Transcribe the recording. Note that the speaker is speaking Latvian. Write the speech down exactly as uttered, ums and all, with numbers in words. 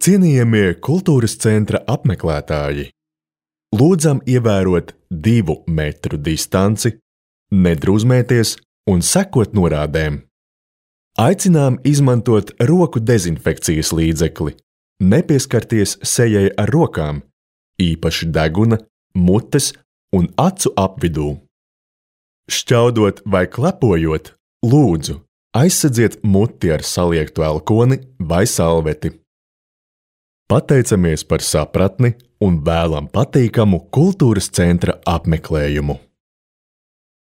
Cienījamie kultūras centra apmeklētāji, lūdzam ievērot divu metru distanci, nedrūzmēties un sekot norādēm. Aicinām izmantot roku dezinfekcijas līdzekli, nepieskarties sejai ar rokām, īpaši deguna, mutes un acu apvidū. Šķaudot vai klepojot, lūdzu, aizsedziet muti ar saliektu elkoni vai salveti. Pateicamies par sapratni un vēlam patīkamu kultūras centra apmeklējumu.